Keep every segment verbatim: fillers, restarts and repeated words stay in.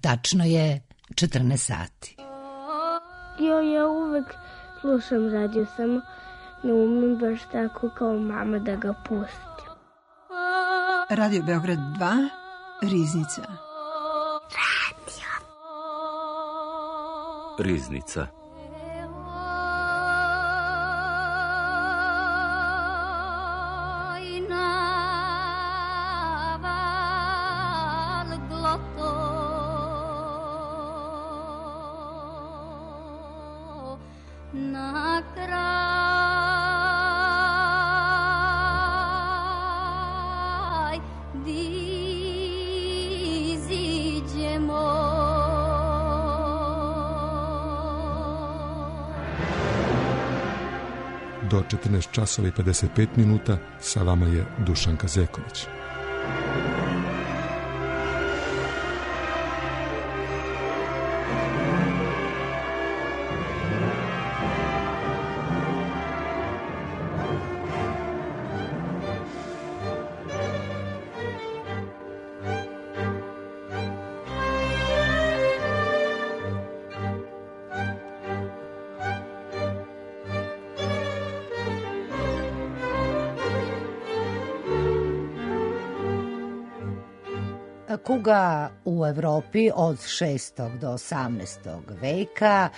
Tačno je četrnaest sati. Jo, ja uvek slušam radio, samo ne umem baš tako kao mama da ga pustim. Radio Beograd dva, Riznica. Radio. Riznica. Do četrnaest časova i pedeset pet minuta sa vama je Dušan Kazeković. Kuga u Evropi od šestog do osamnaestog veka.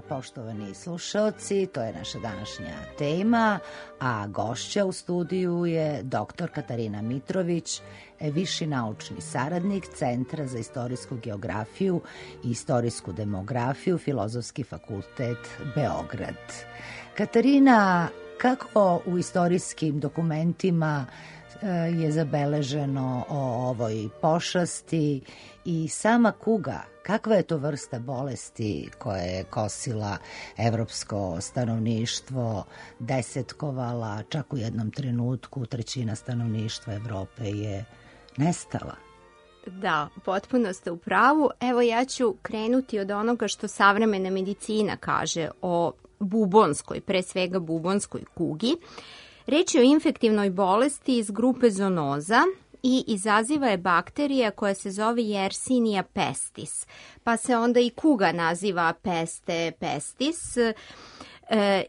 Poštovani slušaoci, to je naša današnja tema, a gošća u studiju je doktor Katarina Mitrović, viši naučni saradnik Centra za istorijsku geografiju i istorijsku demografiju, Filozofski fakultet Beograd. Katarina, kako u istorijskim dokumentima je zabeleženo o ovoj pošasti i sama kuga, kakva je to vrsta bolesti koja je kosila evropsko stanovništvo, desetkovala, čak u jednom trenutku trećina stanovništva Evrope je nestala? Da, potpuno ste u pravu. Evo ja ću krenuti od onoga što savremena medicina kaže o bubonskoj, pre svega bubonskoj kugi. Reč je o infektivnoj bolesti iz grupe zoonoza i izaziva je bakterija koja se zove Yersinia pestis, pa se onda i kuga naziva peste pestis e,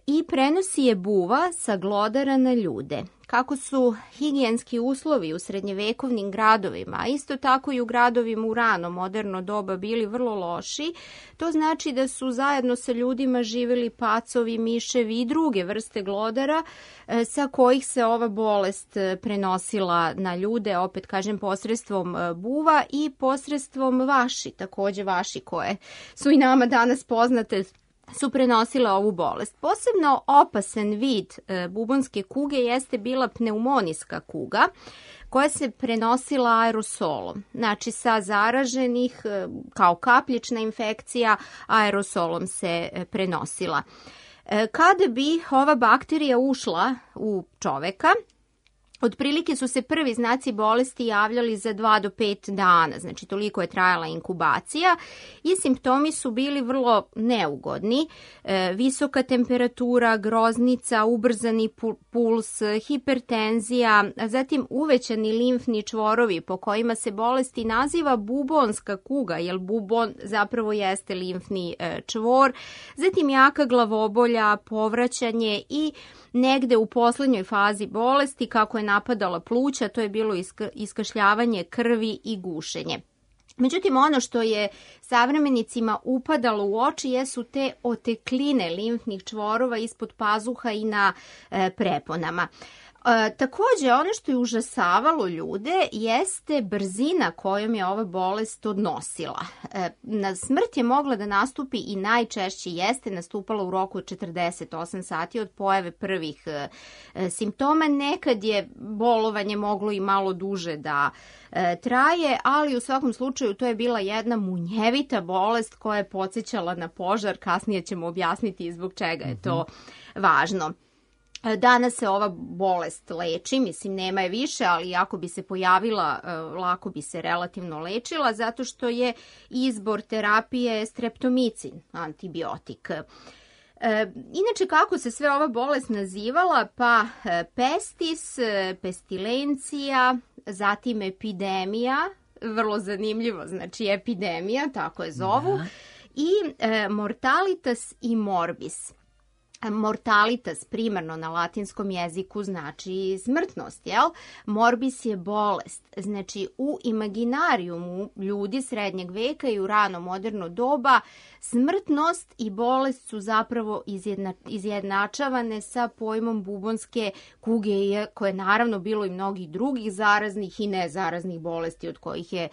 i prenosi je buva sa glodara na ljude. Kako su higijenski uslovi u srednjevekovnim gradovima, a isto tako i u gradovima u rano moderno doba bili vrlo loši, to znači da su zajedno sa ljudima živjeli pacovi, miševi i druge vrste glodara sa kojih se ova bolest prenosila na ljude, opet kažem posredstvom buva i posredstvom vaši, takođe vaši koje su i nama danas poznate, su prenosile ovu bolest. Posebno opasan vid e, bubonske kuge jeste bila pneumonijska kuga koja se prenosila aerosolom. Znači sa zaraženih e, kao kapljična infekcija aerosolom se e, prenosila. E, kada bi ova bakterija ušla u čoveka, otprilike su se prvi znaci bolesti javljali za dva do pet dana, znači toliko je trajala inkubacija i simptomi su bili vrlo neugodni. E, visoka temperatura, groznica, ubrzani puls, hipertenzija, zatim uvećani limfni čvorovi po kojima se bolesti naziva bubonska kuga, jer bubon zapravo jeste limfni e, čvor, zatim jaka glavobolja, povraćanje i negde u poslednjoj fazi bolesti, kako je napadala pluća, to je bilo iska, iskašljavanje krvi i gušenje. Međutim, ono što je savremenicima upadalo u oči jesu te otekline limfnih čvorova ispod pazuha i na e, preponama. E, takođe, ono što je užasavalo ljude jeste brzina kojom je ova bolest odnosila. E, na smrt je mogla da nastupi i najčešće jeste nastupala u roku od četrdeset osam sati od pojave prvih e, simptoma. Nekad je bolovanje moglo i malo duže da e, traje, ali u svakom slučaju to je bila jedna munjevita bolest koja je podsjećala na požar. Kasnije ćemo objasniti zbog čega je to važno. Danas se ova bolest leči, mislim nema je više, ali ako bi se pojavila, lako bi se relativno lečila, zato što je izbor terapije streptomicin, antibiotik. Inače, kako se sve ova bolest nazivala? Pa pestis, pestilencija, zatim epidemija, vrlo zanimljivo, znači epidemija, tako je zovu, da. I e, mortalitas i morbis. Mortalitas primarno na latinskom jeziku znači smrtnost, jel? Morbis je bolest. Znači u imaginarijumu ljudi srednjeg veka i u rano moderno doba smrtnost i bolest su zapravo izjedna, izjednačavane sa pojmom bubonske kuge, koje je naravno bilo i mnogih drugih zaraznih i nezaraznih bolesti od kojih je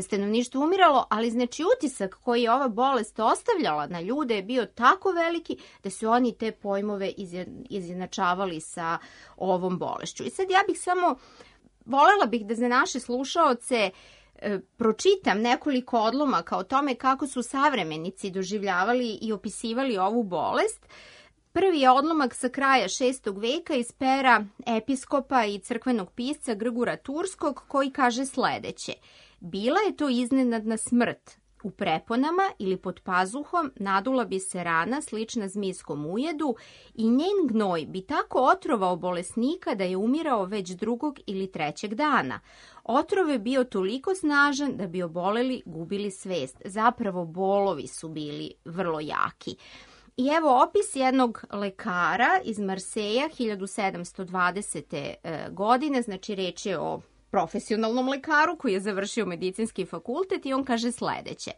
stanovništvo umiralo, ali znači utisak koji je ova bolest ostavljala na ljude je bio tako veliki da su oni te pojmove izjednačavali sa ovom bolešću. I sad ja bih samo, volela bih da za naše slušaoce e, pročitam nekoliko odlomaka o tome kako su savremenici doživljavali i opisivali ovu bolest. Prvi je odlomak sa kraja šestog veka iz pera episkopa i crkvenog pisca Grgura Turskog, koji kaže sledeće. Bila je to iznenadna smrt. U preponama ili pod pazuhom nadula bi se rana slična zmijskom ujedu i njen gnoj bi tako otrovao bolesnika da je umirao već drugog ili trećeg dana. Otrov je bio toliko snažan da bi oboleli gubili svest. Zapravo bolovi su bili vrlo jaki. I evo opis jednog lekara iz Marseja hiljadu sedamsto dvadesete. godine, znači reč je o profesionalnom lekaru koji je završio medicinski fakultet i on kaže sledeće.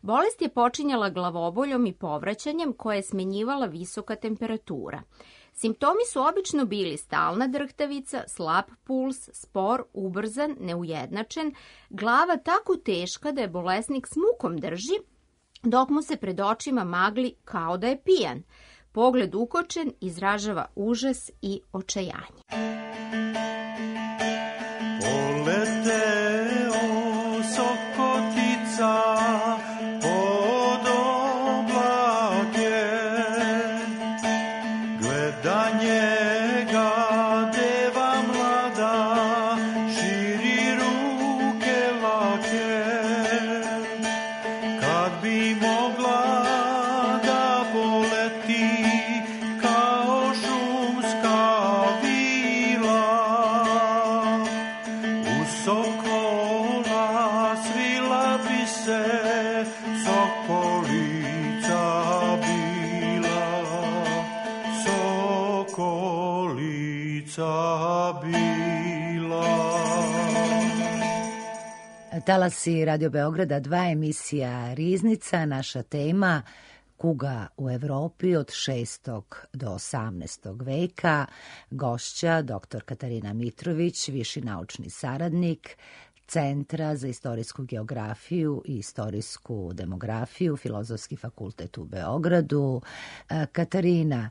Bolest je počinjala glavoboljom i povraćanjem koje je smenjivala visoka temperatura. Simptomi su obično bili stalna drhtavica, slab puls, spor, ubrzan, neujednačen, glava tako teška da je bolesnik s mukom drži, dok mu se pred očima magli kao da je pijan. Pogled ukočen izražava užas i očajanje. Poleteo sokotica pod oblake, gleda njega deva mlada, širi ruke lake, kad bi mogla da poleti kao šumska vila. Sokola svila bi se, sokolica bila, sokolica bila. Talasi Radio Beograda dva, emisija Riznica, naša tema kuga u Evropi od šestog do osamnaestog veka. Gošća doktor Katarina Mitrović, viši naučni saradnik Centra za istorijsku geografiju i istorijsku demografiju, Filozofski fakultet u Beogradu. Katarina,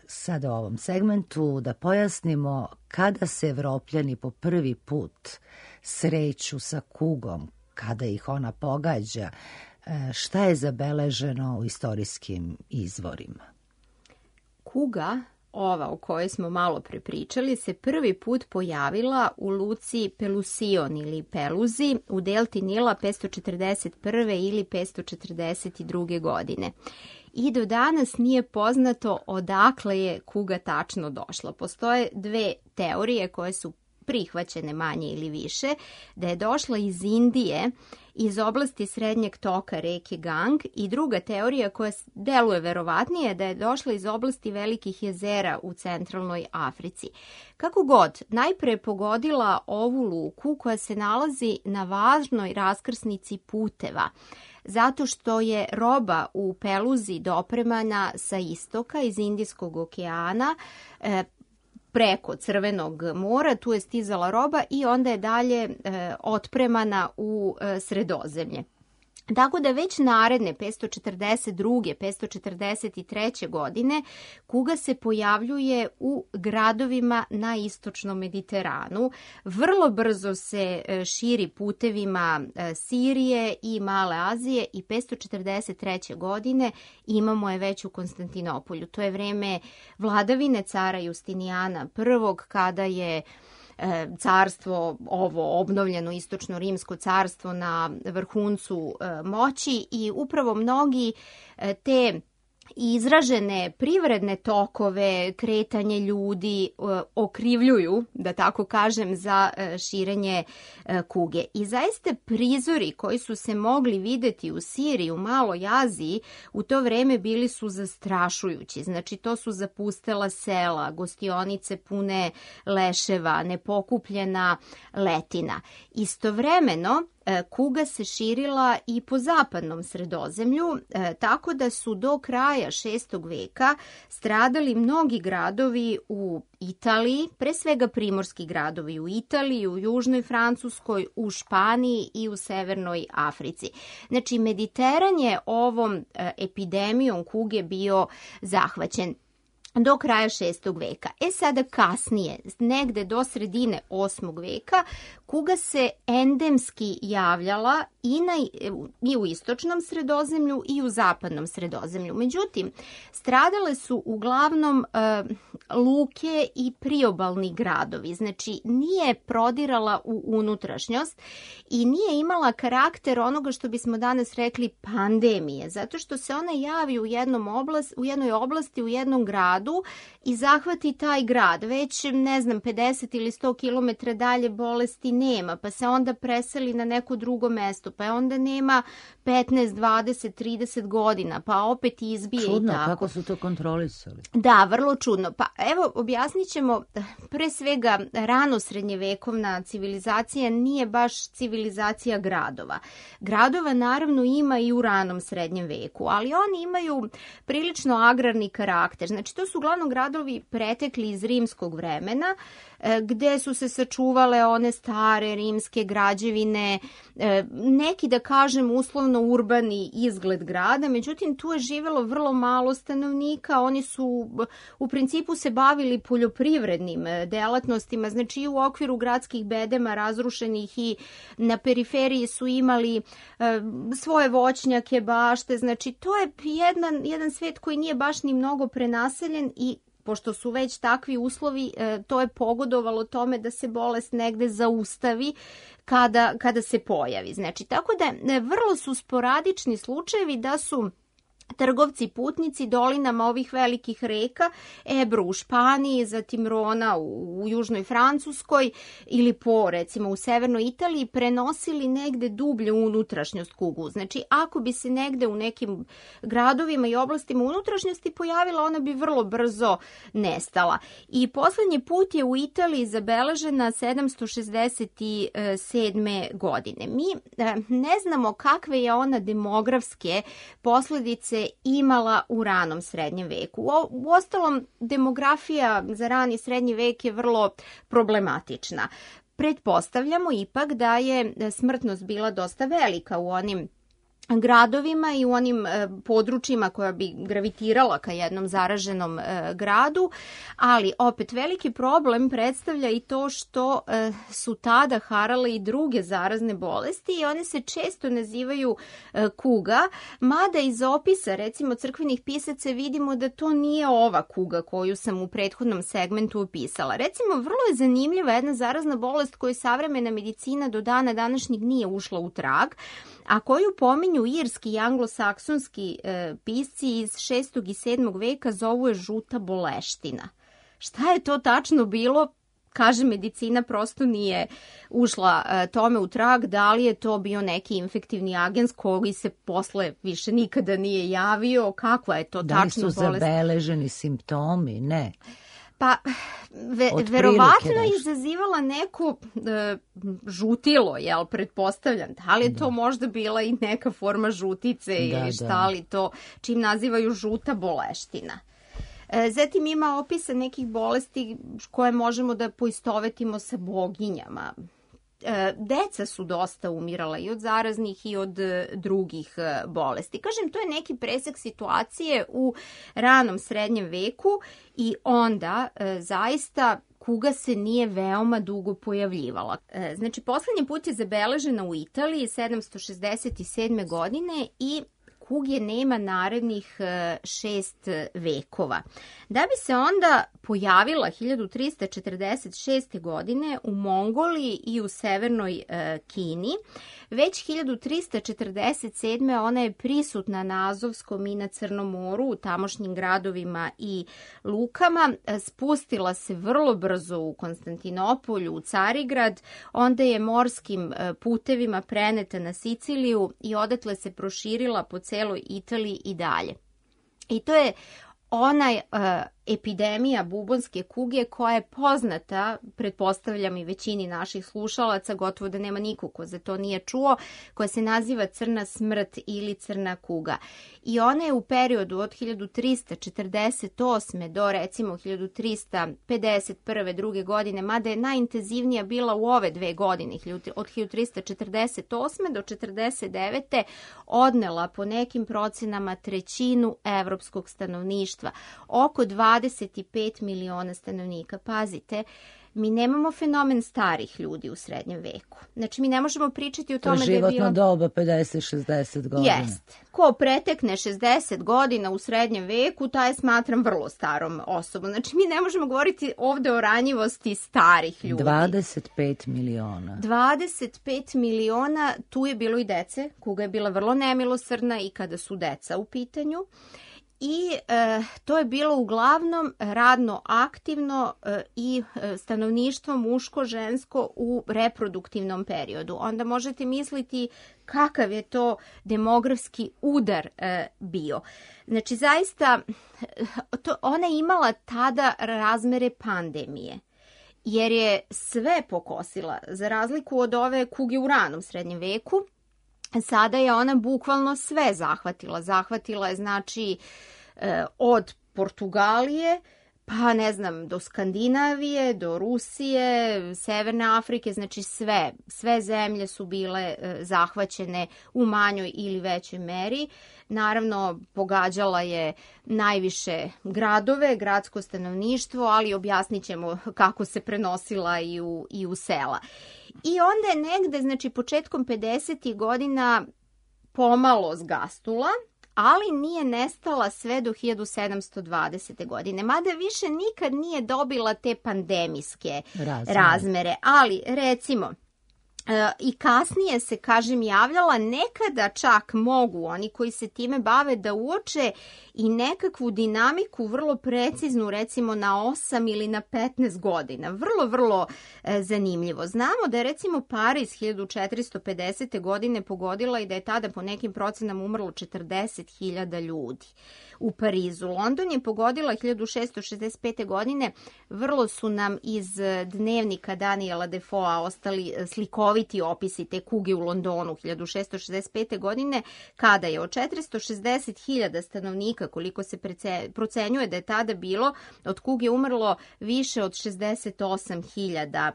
sad u ovom segmentu da pojasnimo kada se Evropljani po prvi put sreću sa kugom, kada ih ona pogađa, šta je zabeleženo u istorijskim izvorima? Kuga, ova o kojoj smo malo prepričali, se prvi put pojavila u luci Pelusion ili Peluzi u delti Nila petsto četrdeset prve ili petsto četrdeset druge. godine. I do danas nije poznato odakle je kuga tačno došla. Postoje dve teorije koje su prihvaćene manje ili više, da je došla iz Indije, iz oblasti srednjeg toka reke Gang, i druga teorija koja deluje verovatnije da je došla iz oblasti velikih jezera u centralnoj Africi. Kako god, najpre je pogodila ovu luku koja se nalazi na važnoj raskrsnici puteva, zato što je roba u Peluzi dopremana sa istoka iz Indijskog okeana, e, preko Crvenog mora, tu je stizala roba i onda je dalje e, otpremana u e, Sredozemlje. Tako da već naredne petsto četrdeset druge. petsto četrdeset treće. godine kuga se pojavljuje u gradovima na istočnom Mediteranu. Vrlo brzo se širi putevima Sirije i Male Azije i petsto četrdeset treće. godine imamo je već u Konstantinopolju. To je vreme vladavine cara Justinijana prvog, kada je carstvo, ovo obnovljeno istočno rimsko carstvo, na vrhuncu moći, i upravo mnogi te i izražene privredne tokove, kretanje ljudi okrivljuju, da tako kažem, za širenje kuge. I zaista prizori koji su se mogli videti u Siriji, u Maloj Aziji, u to vreme bili su zastrašujući. Znači, to su zapustela sela, gostionice pune leševa, nepokupljena letina. Istovremeno, kuga se širila i po zapadnom Sredozemlju, tako da su do kraja šestog veka stradali mnogi gradovi u Italiji, pre svega primorski gradovi u Italiji, u južnoj Francuskoj, u Španiji i u severnoj Africi. Znači, Mediteran je ovom epidemijom kuge bio zahvaćen do kraja šestog veka. E sada kasnije, negde do sredine osmog veka, kuga se endemski javljala i, na, i u istočnom Sredozemlju i u zapadnom Sredozemlju. Međutim, stradale su uglavnom e, luke i priobalni gradovi. Znači, nije prodirala u unutrašnjost i nije imala karakter onoga što bismo danas rekli pandemije, zato što se ona javi u, jednom oblast, u jednoj oblasti, u jednom gradu i zahvati taj grad. Već, ne znam, pedeset ili sto kilometara dalje bolesti nema, pa se onda preseli na neko drugo mesto, pa onda nema petnaest, dvadeset, trideset godina, pa opet izbije. Čudno, i tako. Kako su to kontrolisali? Da, vrlo čudno. Pa evo, objasnit ćemo, pre svega, rano srednjevekovna civilizacija nije baš civilizacija gradova. Gradova naravno ima i u ranom srednjem veku, ali oni imaju prilično agrarni karakter. Znači, to su uglavnom gradovi pretekli iz rimskog vremena, gde su se sačuvale one stare rimske građevine, neki, da kažem, uslovno urbani izgled grada, međutim tu je živelo vrlo malo stanovnika, oni su u principu se bavili poljoprivrednim delatnostima, znači i u okviru gradskih bedema razrušenih i na periferiji su imali svoje voćnjake, bašte, znači to je jedan, jedan svet koji nije baš ni mnogo prenaseljen i pošto su već takvi uslovi, to je pogodovalo tome da se bolest negde zaustavi kada, kada se pojavi. Znači, tako da vrlo su sporadični slučajevi da su trgovci, putnici dolinama ovih velikih reka, Ebro u Španiji, zatim Rona u, u južnoj Francuskoj ili po, recimo, u severnoj Italiji, prenosili negde dublje unutrašnjost kugu. Znači, ako bi se negde u nekim gradovima i oblastima unutrašnjosti pojavila, ona bi vrlo brzo nestala. I poslednji put je u Italiji zabeležena sedamsto šezdeset sedme. godine. Mi ne znamo kakve je ona demografske posledice imala u ranom srednjem veku. U ostalom, demografija za rani srednji vek je vrlo problematična. Pretpostavljamo ipak da je smrtnost bila dosta velika u onim gradovima i u onim e, područjima koja bi gravitirala ka jednom zaraženom e, gradu, ali opet veliki problem predstavlja i to što e, su tada harale i druge zarazne bolesti i one se često nazivaju e, kuga, mada iz opisa, recimo, crkvenih pisaca vidimo da to nije ova kuga koju sam u prethodnom segmentu opisala. Recimo, vrlo je zanimljiva jedna zarazna bolest koju savremena medicina do dana današnjeg nije ušla u trag, a koju pominju irski i anglosaksonski e, pisci iz šestog i sedmog veka, zovu je žuta boleština. Šta je to tačno bilo? Kaže, medicina prosto nije ušla e, tome u trag, da li je to bio neki infektivni agens koji se posle više nikada nije javio, kakva je to tačno bolest? Da li su bolest? Zabeleženi simptomi? Ne. Pa, ve, verovatno je izazivala neko e, žutilo, jel, pretpostavljam. Da li je to da. možda bila i neka forma žutice da, ili šta da. li to, čim nazivaju žuta boleština. E, zatim ima opisa nekih bolesti koje možemo da poistovetimo sa boginjama. Deca su dosta umirala i od zaraznih i od drugih bolesti. Kažem, to je neki presek situacije u ranom srednjem veku i onda e, zaista kuga se nije veoma dugo pojavljivala. E, znači, poslednji put je zabeležena u Italiji sedamsto šezdeset sedme. godine i kuge nema narednih šest vekova. Da bi se onda pojavila hiljadu trista četrdeset šeste. godine u Mongoliji i u severnoj Kini, već hiljadu trista četrdeset sedme. ona je prisutna na Azovskom i na Crnom moru, u tamošnjim gradovima i lukama, spustila se vrlo brzo u Konstantinopolju, u Carigrad, onda je morskim putevima preneta na Siciliju i odatle se proširila po celoj Italiji i dalje. I to je ona uh, epidemija bubonske kuge koja je poznata, pretpostavljam i većini naših slušalaca, gotovo da nema niko ko za to nije čuo, koja se naziva crna smrt ili crna kuga. I ona je u periodu od hiljadu trista četrdeset osme. do recimo hiljadu trista pedeset prve. druge godine, mada je najintenzivnija bila u ove dve godine, od hiljadu trista četrdeset osme. do četrdeset devete. odnela po nekim procenama trećinu evropskog stanovništva, oko dvadeset pet miliona stanovnika. Pazite, mi nemamo fenomen starih ljudi u srednjem veku. Znači, mi ne možemo pričati o tome da je bilo... To je životno doba pedeset šezdeset godina. Jest. Ko pretekne šezdeset godina u srednjem veku, taj smatram vrlo starom osobom. Znači, mi ne možemo govoriti ovde o ranjivosti starih ljudi. dvadeset pet miliona. dvadeset pet miliona, tu je bilo i dece, kuga je bila vrlo nemilosrdna i kada su deca u pitanju. I e, to je bilo uglavnom radno aktivno e, i e, stanovništvo muško-žensko u reproduktivnom periodu. Onda možete misliti kakav je to demografski udar e, bio. Znači, zaista, to, ona je imala tada razmere pandemije, jer je sve pokosila, za razliku od ove kuge u ranom srednjem veku. Sada je ona bukvalno sve zahvatila. Zahvatila je, znači, od Portugalije, pa ne znam, do Skandinavije, do Rusije, Severne Afrike, znači sve, sve zemlje su bile zahvaćene u manjoj ili većoj meri. Naravno, pogađala je najviše gradove, gradsko stanovništvo, ali objasnit ćemo kako se prenosila i u, i u sela. I onda je negde, znači početkom pedesetih godina pomalo zgastula, ali nije nestala sve do hiljadu sedamsto dvadesete. godine. Mada više nikad nije dobila te pandemijske razmere. razmere. Ali, recimo, E, i kasnije se, kažem, javljala, nekada čak mogu oni koji se time bave da uoče i nekakvu dinamiku vrlo preciznu, recimo na osam ili na petnaest godina. Vrlo, vrlo e, zanimljivo. Znamo da je recimo Pariz hiljadu četiristo pedesete. godine pogodila i da je tada po nekim procenama umrlo četrdeset hiljada ljudi u Parizu. London je pogodila hiljadu šesto šezdeset pete. godine. Vrlo su nam iz dnevnika Daniela Defoea ostali slikoviti opisi te kuge u Londonu hiljadu šesto šezdeset pete. godine, kada je od četiristo šezdeset hiljada stanovnika, koliko se procenjuje da je tada bilo, od kuge umrlo više od šezdeset osam hiljada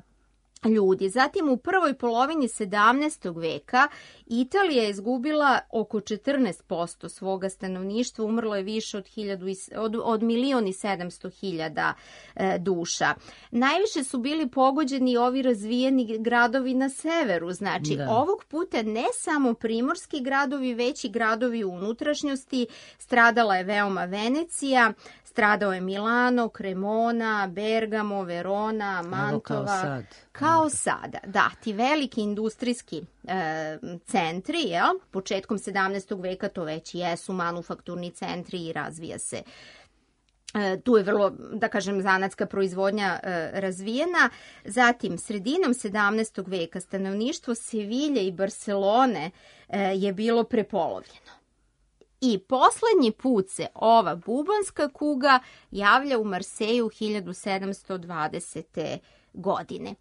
ljudi. Zatim u prvoj polovini sedamnaestog. veka Italija je izgubila oko četrnaest posto svoga stanovništva, umrlo je više od, hiljadu, od, od milion i sedamsto hiljada e, duša. Najviše su bili pogođeni ovi razvijeni gradovi na severu, znači da. Ovog puta ne samo primorski gradovi, već i gradovi u unutrašnjosti. Stradala je veoma Venecija, stradao je Milano, Cremona, Bergamo, Verona, Mantova. Evo kao sad. Kao sada, da, ti veliki industrijski e, centri, jel? Početkom sedamnaestog. veka to već jesu manufakturni centri i razvija se. E, tu je vrlo, da kažem, zanatska proizvodnja e, razvijena. Zatim, sredinom sedamnaestog. veka stanovništvo Sevilje i Barcelone e, je bilo prepolovljeno. I poslednji put se ova bubonska kuga javlja u Marseju hiljadu sedamsto dvadesete. godine.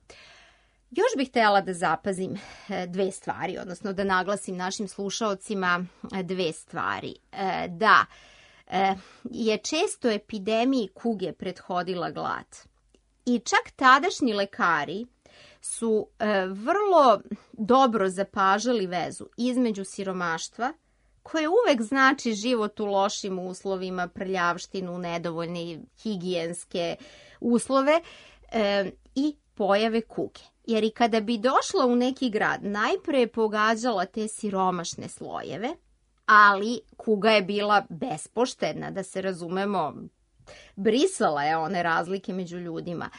Još bih htjela da zapazim dve stvari, odnosno da naglasim našim slušaocima dve stvari. Da, je često epidemiji kuge prethodila glad. I čak tadašnji lekari su vrlo dobro zapažali vezu između siromaštva, koje uvek znači život u lošim uslovima, prljavštinu, nedovoljne higijenske uslove, e, i pojave kuge. Jer i kada bi došla u neki grad, najpre je pogađala te siromašne slojeve, ali kuga je bila bespoštedna, da se razumemo, brisala je one razlike među ljudima.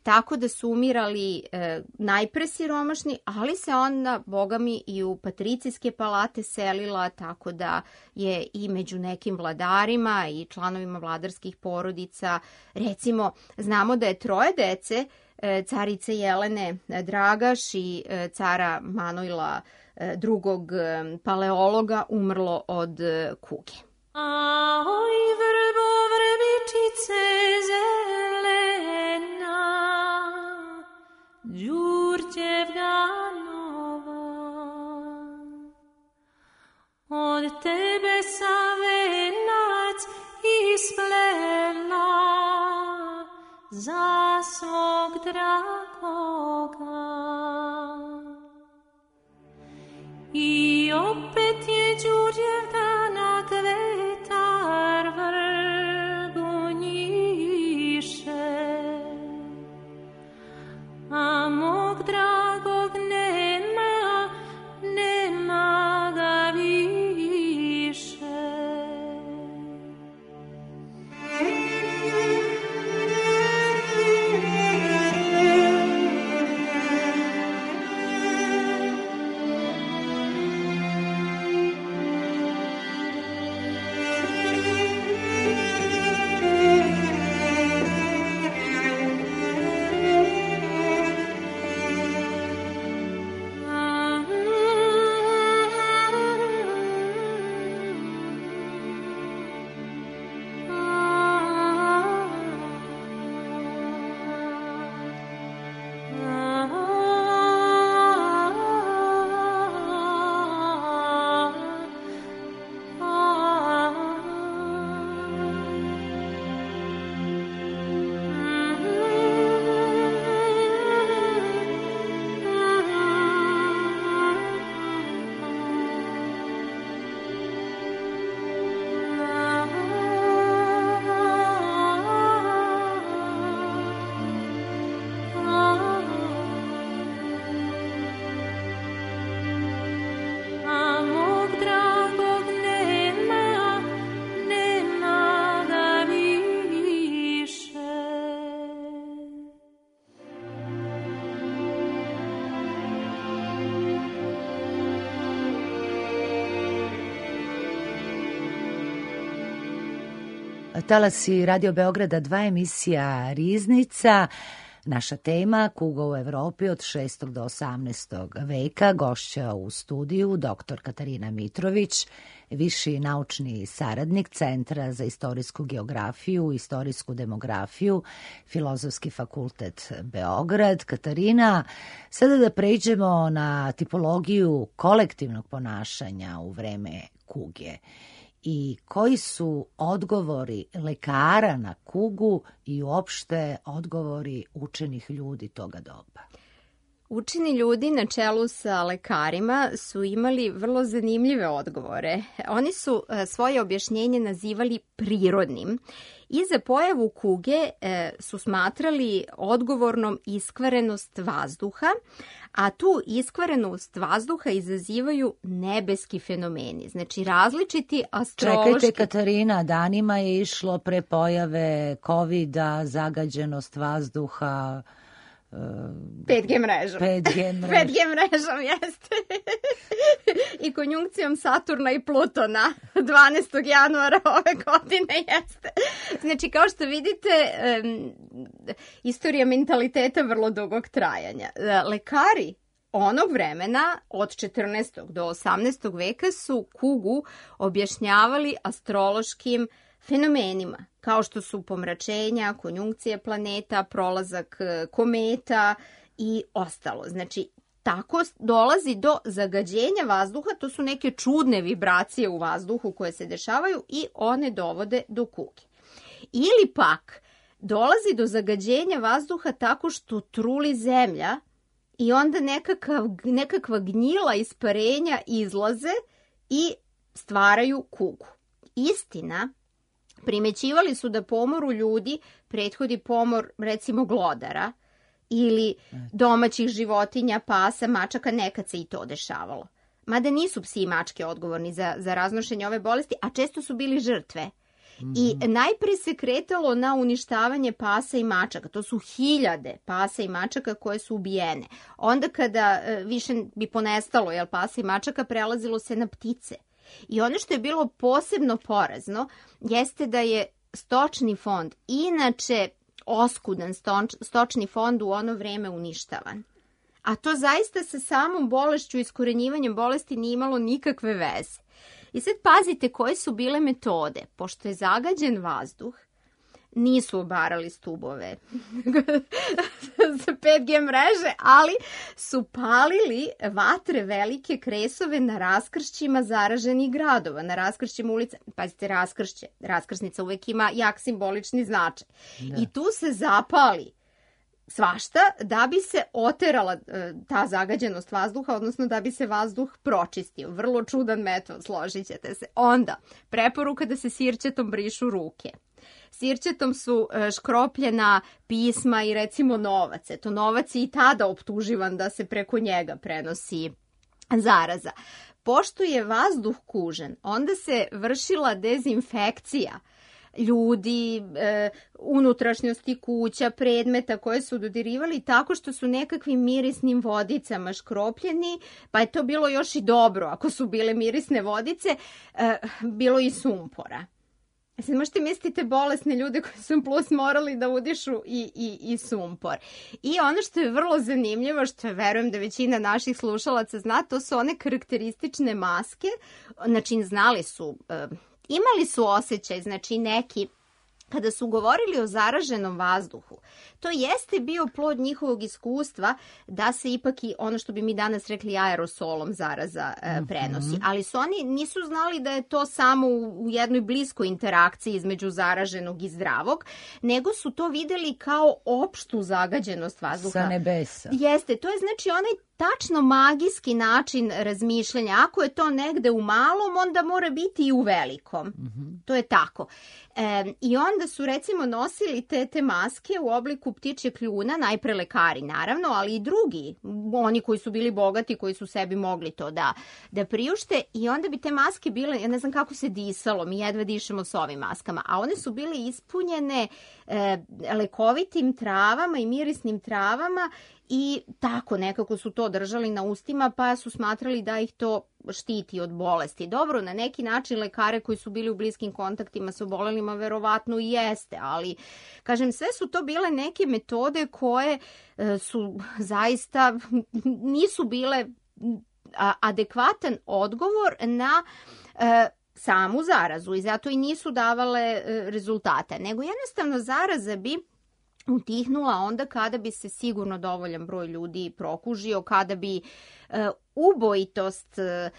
Tako da su umirali e, najpre siromašni, ali se onda, bogami, i u patricijske palate selila, tako da je i među nekim vladarima i članovima vladarskih porodica, recimo, znamo da je troje dece, e, carice Jelene Dragaš i e, cara Manojla e, drugog e, paleologa, umrlo od e, kuge. Ahoj, vrbo, vrbičice zelena, Đurđevna nova, od tebe sam venac isplela za svog dragoga. I opet je Đurđevdana kvetar vrbu njiše, a mog dragog nema, nema ga više. Talasi Radio Beograda dva, emisija Riznica. Naša tema kuga u Evropi od šestog do osamnaestog veka. Gošća u studiju doktor Katarina Mitrović, viši naučni saradnik Centra za istorijsku geografiju i istorijsku demografiju, Filozofski fakultet Beograd. Katarina, sada da pređemo na tipologiju kolektivnog ponašanja u vreme kuge. I koji su odgovori lekara na kugu i uopšte odgovori učenih ljudi toga doba? Učeni ljudi na čelu sa lekarima su imali vrlo zanimljive odgovore. Oni su svoje objašnjenje nazivali prirodnim i za pojavu kuge su smatrali odgovornom iskvarenost vazduha, a tu iskvarenost vazduha izazivaju nebeski fenomeni, znači različiti astrološki... Čekajte, Katarina, danima je išlo pre pojave kovida, zagađenost vazduha... pet G mrežom. pet G mrežom. pet G mrežom, jeste. I konjunkcijom Saturna i Plutona dvanaestog januara ove godine, jeste. Znači, kao što vidite, um, istorija mentaliteta vrlo dugog trajanja. Lekari onog vremena, od četrnaestog do osamnaestog veka, su kugu objašnjavali astrološkim fenomenima, kao što su pomračenja, konjunkcije planeta, prolazak kometa i ostalo. Znači, tako dolazi do zagađenja vazduha, to su neke čudne vibracije u vazduhu koje se dešavaju i one dovode do kuge. Ili pak, dolazi do zagađenja vazduha tako što truli zemlja i onda nekakav, nekakva gnjila isparenja izlaze i stvaraju kugu. Istina, primećivali su da pomoru ljudi prethodi pomor, recimo, glodara ili domaćih životinja, pasa, mačaka, nekad se i to dešavalo. mada nisu psi i mačke odgovorni za, za raznošenje ove bolesti, a često su bili žrtve. I najpre se kretalo na uništavanje pasa i mačaka. To su hiljade pasa i mačaka koje su ubijene. Onda kada e, više bi ponestalo jel, pasa i mačaka, prelazilo se na ptice. I ono što je bilo posebno porazno jeste da je stočni fond, inače oskudan stoč, stočni fond u ono vreme uništavan. A to zaista sa samom bolešću i iskorenjivanjem bolesti nije imalo nikakve veze. I sad pazite koje su bile metode. Pošto je zagađen vazduh, nisu obarali stubove za pet G mreže, ali su palili vatre velike kresove na raskršćima zaraženih gradova, na raskršćima ulica. Pazite, raskršće. Raskrsnica uvek ima jak simbolični značaj. Da. I tu se zapali svašta da bi se oterala e, ta zagađenost vazduha, odnosno da bi se vazduh pročistio. Vrlo čudan metod, složit ćete se. Onda, preporuka da se sirćetom brišu ruke. Sirćetom su e, škropljena pisma i recimo novac. Eto, novac je i tada optuživan da se preko njega prenosi zaraza. Pošto je vazduh kužen, onda se vršila dezinfekcija ljudi, e, unutrašnjosti kuća, predmeta koje su dodirivali tako što su nekakvim mirisnim vodicama škropljeni, pa je to bilo još i dobro ako su bile mirisne vodice, e, bilo i sumpora. Sad možete mislite bolesne ljude koji su plus morali da udišu i, i, i sumpor. I ono što je vrlo zanimljivo, što je, verujem da većina naših slušalaca zna, to su one karakteristične maske, znači znali su... E, Imali su osjećaj, znači neki, kada su govorili o zaraženom vazduhu, to jeste bio plod njihovog iskustva da se ipak i ono što bi mi danas rekli aerosolom zaraza e, prenosi. Ali su oni nisu znali da je to samo u, u jednoj bliskoj interakciji između zaraženog i zdravog, nego su to videli kao opštu zagađenost vazduha. Sa nebesa. Jeste, to je znači onaj tačno magijski način razmišljanja. Ako je to negde u malom, onda mora biti i u velikom. Mm-hmm. To je tako. E, I onda su recimo nosili te, te maske u obliku ptičje kljuna, najpre lekari naravno, ali i drugi, oni koji su bili bogati, koji su sebi mogli to da, da priušte. I onda bi te maske bile, ja ne znam kako se disalo, mi jedva dišemo s ovim maskama, a one su bile ispunjene e, lekovitim travama i mirisnim travama. I tako nekako su to držali na ustima, pa su smatrali da ih to štiti od bolesti. Dobro, na neki način lekare koji su bili u bliskim kontaktima sa obolelima verovatno i jeste, ali kažem, sve su to bile neke metode koje e, su zaista nisu bile a, adekvatan odgovor na e, samu zarazu i zato i nisu davale e, rezultate, nego jednostavno zaraza bi utihnula onda kada bi se sigurno dovoljan broj ljudi prokužio, kada bi e, ubojitost e,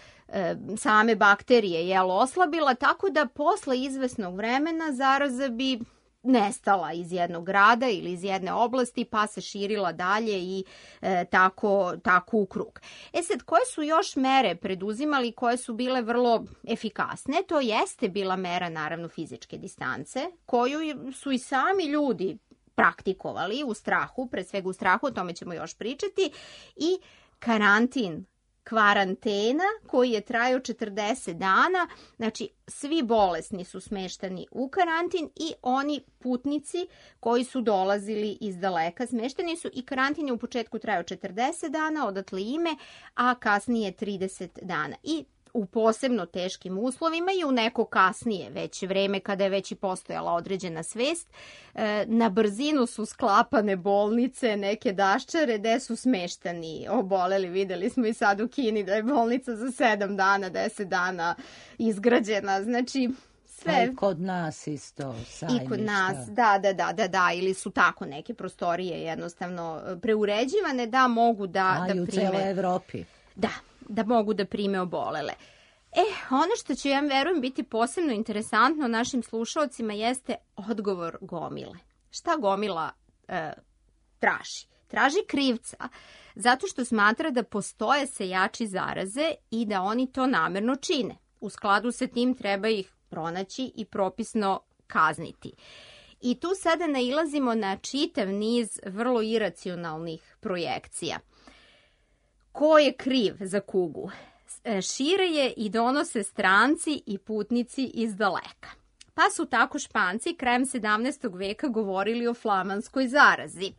same bakterije jel, oslabila, tako da posle izvesnog vremena zaraza bi nestala iz jednog grada ili iz jedne oblasti pa se širila dalje i e, tako, tako u krug. E sad, koje su još mere preduzimali koje su bile vrlo efikasne? To jeste bila mera naravno fizičke distance koju su i sami ljudi praktikovali u strahu, pre svega u strahu, o tome ćemo još pričati, i karantin, kvarantena koji je trajao četrdeset dana, znači svi bolesni su smeštani u karantin i oni putnici koji su dolazili iz daleka smešteni su i karantin je u početku trajao četrdeset dana, odatle ime, a kasnije trideset dana. I u posebno teškim uslovima i u neko kasnije već vreme kada je već i postojala određena svest, na brzinu su sklapane bolnice, neke daščare gde su smeštani oboleli. Videli smo i sad u Kini da je bolnica za sedam dana, deset dana izgrađena. Znači, sve. Pa i kod nas isto sajmišta. I kod nas, da, da, da, da, da, ili su tako neke prostorije jednostavno preuređivane da mogu da, A, da i u prime. celoj Evropi. Da, da mogu da prime obolele. E, ono što će, ja verujem, biti posebno interesantno našim slušalcima jeste odgovor gomile. Šta gomila e, traži? Traži krivca zato što smatra da postoje sejači zaraze i da oni to namerno čine. U skladu sa tim treba ih pronaći i propisno kazniti. I tu sada nailazimo na čitav niz vrlo iracionalnih projekcija. Ko je kriv za kugu? šire je i donose stranci i putnici iz daleka. Pa su tako Španci krajem sedamnaestog veka govorili o flamanskoj zarazi.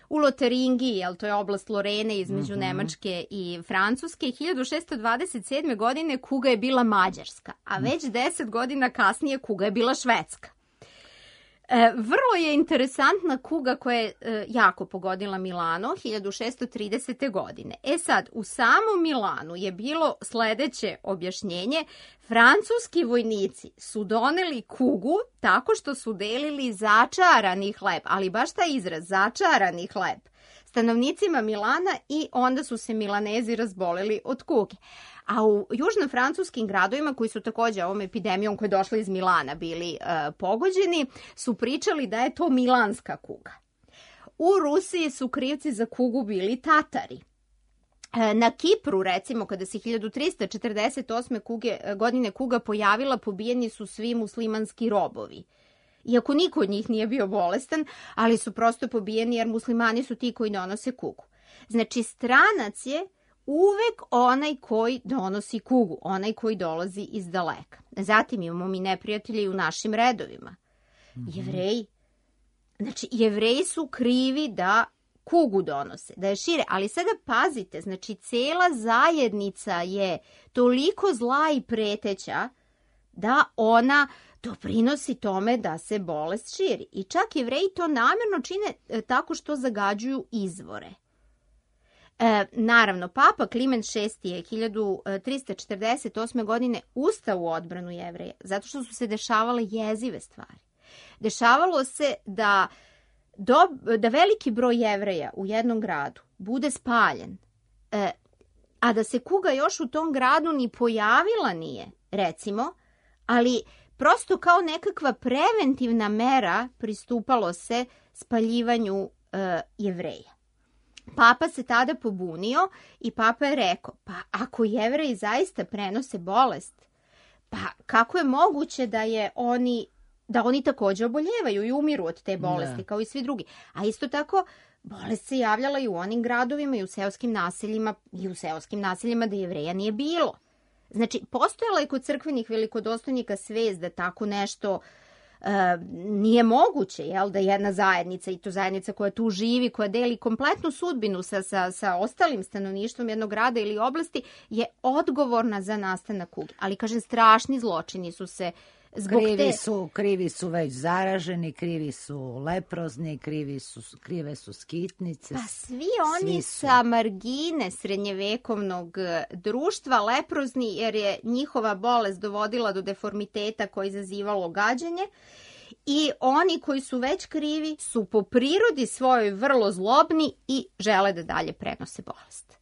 U Lotaringiji, jel, to je oblast Lorene između mm-hmm. Nemačke i Francuske, hiljadu šesto dvadeset sedme. godine kuga je bila mađarska, a već deset godina kasnije kuga je bila švedska. E, vrlo je interesantna kuga koja je e, jako pogodila Milano hiljadu šesto tridesete. godine. E sad, u samom Milanu je bilo sledeće objašnjenje. Francuski vojnici su doneli kugu tako što su delili začarani hleb, ali baš taj izraz, začarani hleb, stanovnicima Milana i onda su se Milanezi razboleli od kuge. A u južnofrancuskim gradovima, koji su takođe ovom epidemijom koja je došla iz Milana bili e, pogođeni, su pričali da je to milanska kuga. U Rusiji su krivci za kugu bili Tatari. E, na Kipru, recimo, kada se hiljadu trista četrdeset osme. Kuge, godine kuga pojavila, pobijeni su svi muslimanski robovi. Iako niko od njih nije bio bolestan, ali su prosto pobijeni jer muslimani su ti koji donose kugu. Znači, stranac je uvek onaj koji donosi kugu, onaj koji dolazi iz daleka. Zatim imamo mi neprijatelje i u našim redovima. Mm-hmm. Jevreji. Znači, Jevreji su krivi da kugu donose, da je šire. Ali sada pazite, znači, cela zajednica je toliko zla i preteća da ona doprinosi tome da se bolest širi. I čak Jevreji to namjerno čine tako što zagađuju izvore. E, naravno, papa Kliment šesti. je hiljadu trista četrdeset osme. godine ustao u odbranu Jevreja, zato što su se dešavale jezive stvari. Dešavalo se da, do, da veliki broj Jevreja u jednom gradu bude spaljen, e, a da se kuga još u tom gradu ni pojavila nije, recimo, ali prosto kao nekakva preventivna mera pristupalo se spaljivanju e, Jevreja. Papa se tada pobunio i papa je rekao, pa ako Jevreji zaista prenose bolest, pa kako je moguće da je oni, da oni također oboljevaju i umiru od te bolesti, ne, kao i svi drugi. A isto tako, bolest se javljala i u onim gradovima i u seoskim naseljima, i u seoskim naseljima da Jevreja nije bilo. Znači, postojala je kod crkvenih velikodostojnika svest da tako nešto Uh, nije moguće, jel, da jedna zajednica, i to zajednica koja tu živi, koja deli kompletnu sudbinu sa, sa, sa ostalim stanovništvom jednog grada ili oblasti, je odgovorna za nastanak kuge. Ali, kažem, strašni zločini su se zbog krivi te... su, krivi su već zaraženi, krivi su leprozni, krivi su, krive su skitnice. Pa svi oni svi sa margine srednjevekovnog društva, leprozni, jer je njihova bolest dovodila do deformiteta koje je izazivalo gađanje, i oni koji su već krivi su po prirodi svojoj vrlo zlobni i žele da dalje prenose bolest.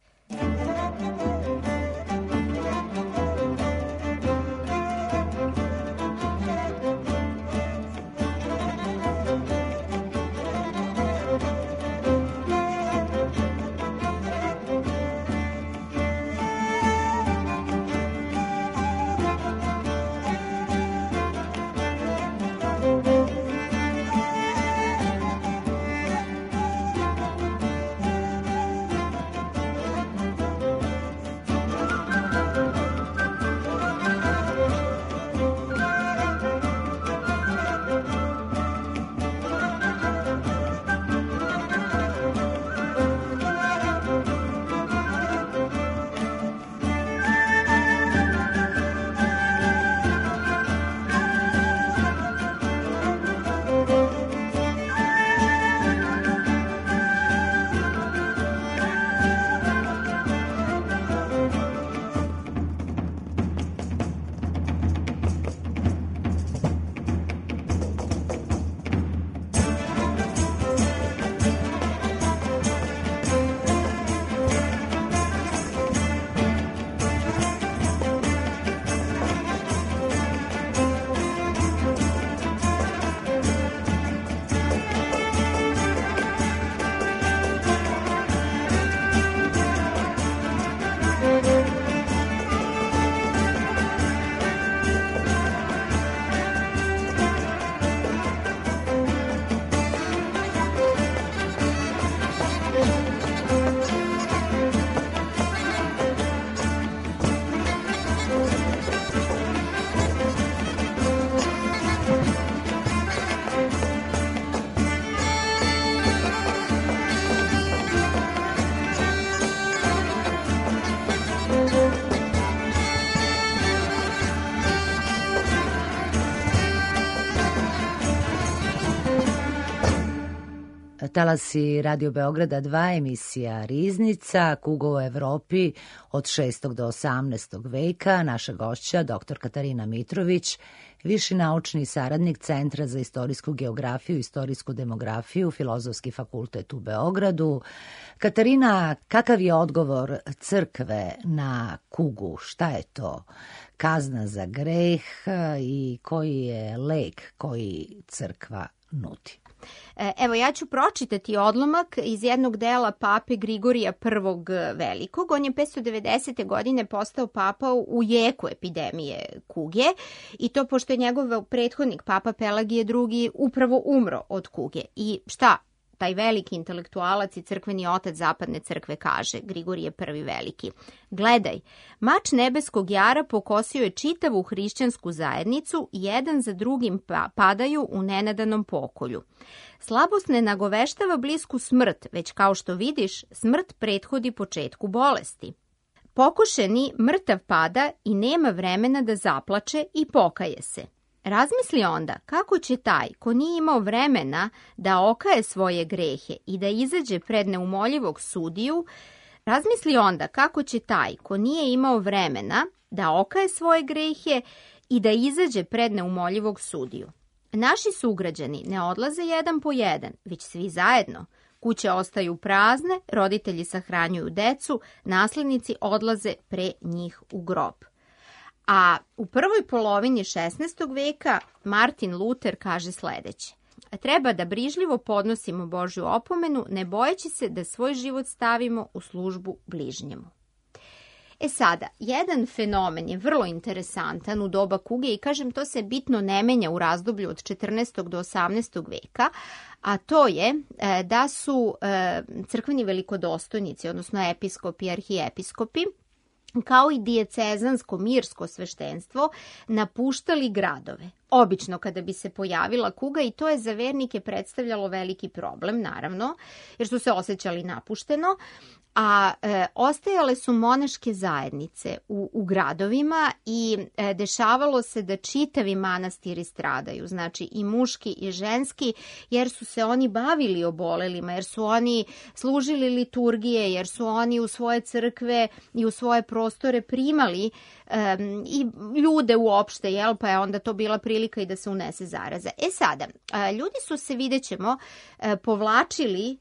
talasi Radio Beograda dva, emisija Riznica, kuga u Evropi od šestog do osamnaestog veka. Naša gošća, doktor Katarina Mitrović, viši naučni saradnik Centra za istorijsku geografiju i istorijsku demografiju, Filozofski fakultet u Beogradu. Katarina, kakav je odgovor crkve na kugu? Šta je to? Kazna za greh i koji je lek koji crkva nudi? Evo, ja ću pročitati odlomak iz jednog dela pape Grigorija prvog Velikog. On je petsto devedesete. godine postao papa u jeku epidemije kuge i to pošto je njegov prethodnik, papa Pelagije drugi, upravo umro od kuge. I šta taj veliki intelektualac i crkveni otac zapadne crkve kaže, Grigorije prvi Veliki? Gledaj, mač nebeskog jara pokosio je čitavu hrišćansku zajednicu i jedan za drugim pa padaju u nenadanom pokolju. Slabost ne nagoveštava blisku smrt, već kao što vidiš, smrt prethodi početku bolesti. Pokošeni mrtav pada i nema vremena da zaplače i pokaje se. Razmisli onda kako će taj ko nije imao vremena da okaje svoje grehe i da izađe pred neumoljivog sudiju, razmisli onda kako će taj ko nije imao vremena da okaje svoje grehe i da izađe pred neumoljivog sudiju. Naši sugrađani ne odlaze jedan po jedan, već svi zajedno. Kuće ostaju prazne, roditelji sahranjuju decu, naslednici odlaze pre njih u grob. A u prvoj polovini šesnaestog veka Martin Luter kaže sledeće. Treba da brižljivo podnosimo Božju opomenu, ne bojeći se da svoj život stavimo u službu bližnjemu. E sada, jedan fenomen je vrlo interesantan u doba kuge i kažem to se bitno ne menja u razdoblju od četrnaestog do osamnaestog veka, a to je da su crkveni velikodostojnici, odnosno episkopi i arhiepiskopi, kao i dijecezansko mirsko sveštenstvo, napuštali gradove. Obično kada bi se pojavila kuga i to je za vernike predstavljalo veliki problem, naravno, jer su se osjećali napušteno, a e, ostajale su monaške zajednice u, u gradovima i e, dešavalo se da čitavi manastiri stradaju, znači i muški i ženski, jer su se oni bavili obolelima, jer su oni služili liturgije, jer su oni u svoje crkve i u svoje prostore primali e, i ljude uopšte, jel, pa je onda to bila prilika i da se unese zaraza. E sada, e, ljudi su se, vidjet ćemo, e, povlačili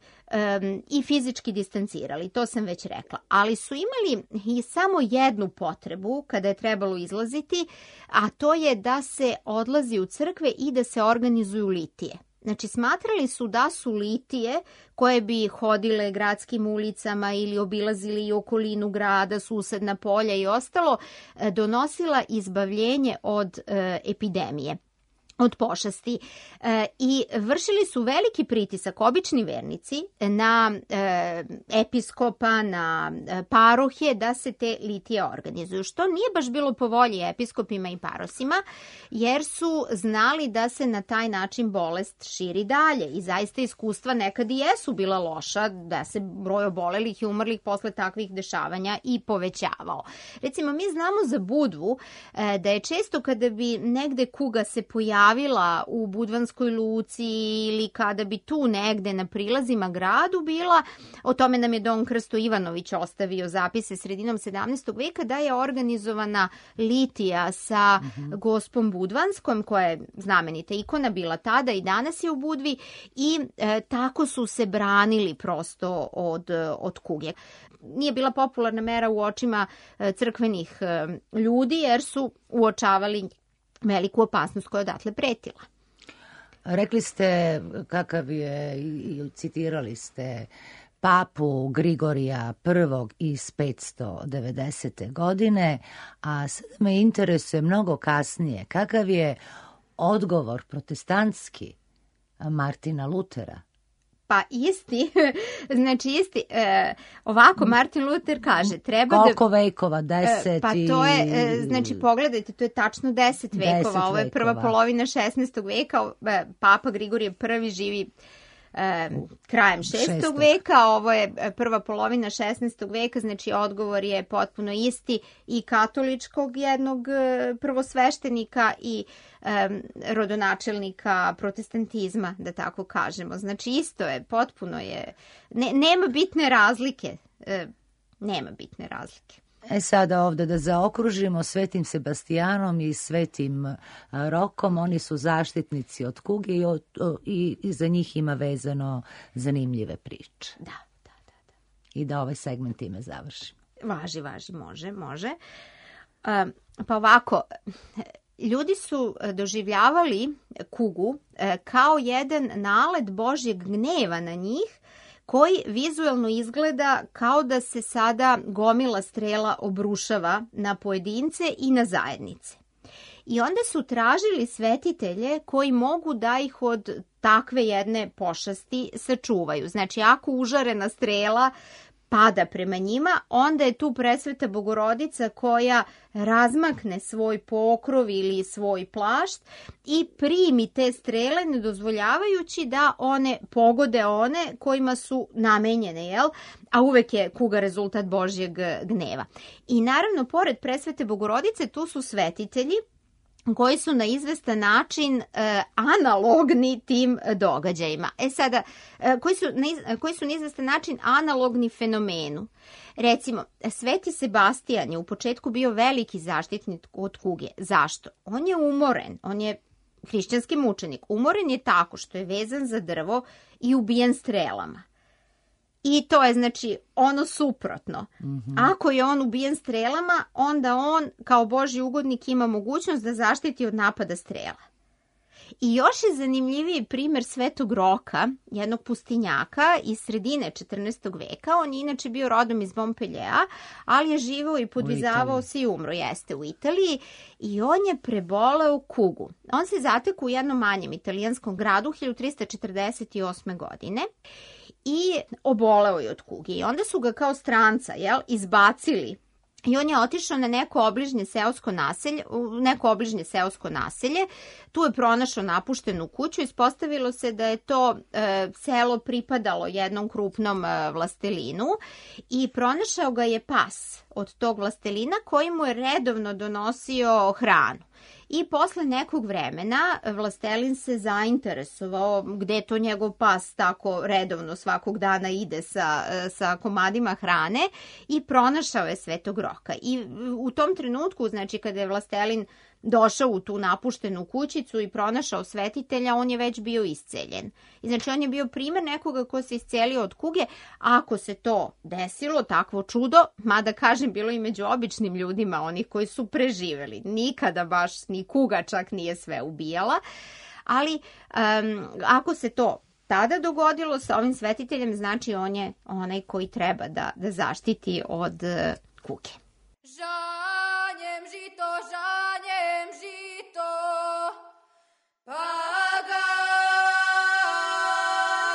Um, i fizički distancirali, to sam već rekla, ali su imali i samo jednu potrebu kada je trebalo izlaziti, a to je da se odlazi u crkve i da se organizuju litije. Znači, smatrali su da su litije koje bi hodile gradskim ulicama ili obilazili i okolinu grada, susedna polja i ostalo, donosila izbavljenje od e, epidemije, od pošasti e, i vršili su veliki pritisak obični vernici na e, episkopa, na e, parohije da se te litije organizuju, što nije baš bilo po volji episkopima i parosima, jer su znali da se na taj način bolest širi dalje i zaista iskustva nekad i jesu bila loša, da se broj obolelih i umrlih posle takvih dešavanja i povećavao. Recimo, mi znamo za Budvu e, da je često kada bi negde kuga se pojavila u Budvanskoj luci ili kada bi tu negde na prilazima gradu bila, o tome nam je Don Krsto Ivanović ostavio zapise sredinom sedamnaestog veka, da je organizovana litija sa mm-hmm. gospom Budvanskom, koja je znamenita ikona bila tada i danas je u Budvi i e, tako su se branili prosto od, od kuge. Nije bila popularna mera u očima e, crkvenih e, ljudi jer su uočavali veliku opasnost koja odatle pretila. Rekli ste kakav je, i citirali ste papu Grigorija prvog iz petsto devedesete. godine, a sad me interesuje mnogo kasnije kakav je odgovor protestantski Martina Lutera. Pa isti, znači isti, e, ovako Martin Luther kaže, treba da... Koliko vekova, deset? Pa to je, e, znači pogledajte, to je tačno deset vekova, deset ovo je prva vekova. Polovina šesnaestog veka, e, papa Grigorije prvi živi e, krajem šestog Šestog. veka, ovo je e, prva polovina šesnaestog veka, znači odgovor je potpuno isti i katoličkog jednog e, prvosveštenika i e, rodonačelnika protestantizma, da tako kažemo. Znači isto je, potpuno je, ne, nema bitne razlike, e, nema bitne razlike. E sada ovde da zaokružimo, Svetim Sebastijanom i Svetim a, Rokom, oni su zaštitnici od kuge i, od, o, i, i za njih ima vezano zanimljive priče. Da, da, da, da. I da ovaj segment time završimo. Važi, važi, može, može. A, pa ovako, ljudi su doživljavali kugu e, kao jedan nalet Božjeg gneva na njih, koji vizuelno izgleda kao da se sada gomila strela obrušava na pojedince i na zajednice. I onda su tražili svetitelje koji mogu da ih od takve jedne pošasti sačuvaju. Znači, ako užarena strela pada prema njima, onda je tu presveta Bogorodica koja razmakne svoj pokrov ili svoj plašt i primi te strele, ne dozvoljavajući da one pogode one kojima su namenjene, jel? A uvek je kuga rezultat Božjeg gneva. I naravno, pored presvete Bogorodice, tu su svetitelji koji su na izvestan način e, analogni tim događajima. E sada, e, koji, su na, koji su na izvestan način analogni fenomenu. Recimo, Sveti Sebastijan je u početku bio veliki zaštitnik od kuge. Zašto? On je umoren, on je hrišćanski mučenik. Umoren je tako što je vezan za drvo i ubijen strelama. I to je, znači, ono suprotno. Mm-hmm. Ako je on ubijen strelama, onda on kao Božji ugodnik ima mogućnost da zaštiti od napada strela. I još je zanimljiviji primjer Svetog Roka, jednog pustinjaka iz sredine četrnaestog veka. On je inače bio rodom iz Montpelliera, ali je živao i podvizavao se i umro, jeste, u Italiji. I on je preboleo kugu. On se zatekao u jednom manjem italijanskom gradu hiljadu trista četrdeset osme. godine. I oboleo je od kuge. I onda su ga kao stranca, jel, izbacili. I on je otišao na neko obližnje seosko naselje, neko obližnje seosko naselje. Tu je pronašao napuštenu kuću. Ispostavilo se da je to e, selo pripadalo jednom krupnom e, vlastelinu i pronašao ga je pas od tog vlastelina koji mu je redovno donosio hranu. I posle nekog vremena vlastelin se zainteresovao gde to njegov pas tako redovno svakog dana ide sa, sa komadima hrane i pronašao je Svetog Roka. I u tom trenutku, znači kada je vlastelin došao u tu napuštenu kućicu i pronašao svetitelja, on je već bio isceljen. I znači on je bio primjer nekoga ko se iscelio od kuge. Ako se to desilo, takvo čudo, mada kažem bilo i među običnim ljudima, onih koji su preživeli. Nikada baš ni kuga čak nije sve ubijala. Ali um, ako se to tada dogodilo sa ovim svetiteljem, znači on je onaj koji treba da, da zaštiti od uh, kuge. Žanjem žito, žanjem žito, pa ga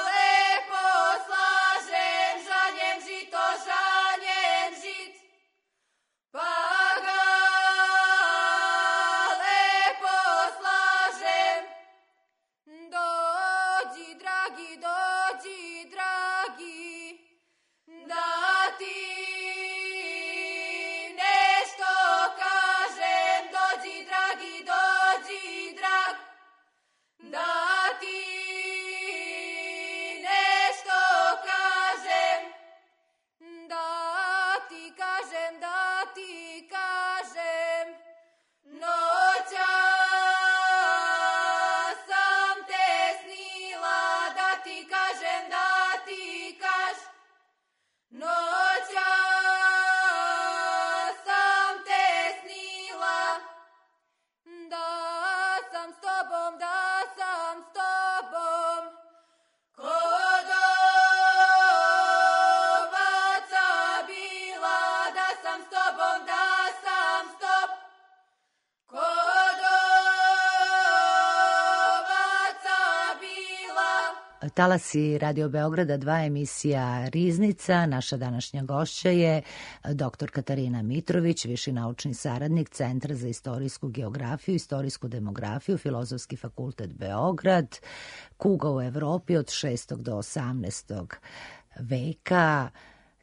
lepo slažem. Žanjem žito, žanjem žit, pa ga lepo slažem. Dođi, dragi, dođi, dragi, da ti nešto Talasi Radio Beograda dva, emisija Riznica. Naša današnja gošća je doktor Katarina Mitrović, viši naučni saradnik Centra za istorijsku geografiju, istorijsku demografiju, Filozofski fakultet Beograd, kuga u Evropi od šestog do osamnaestog veka.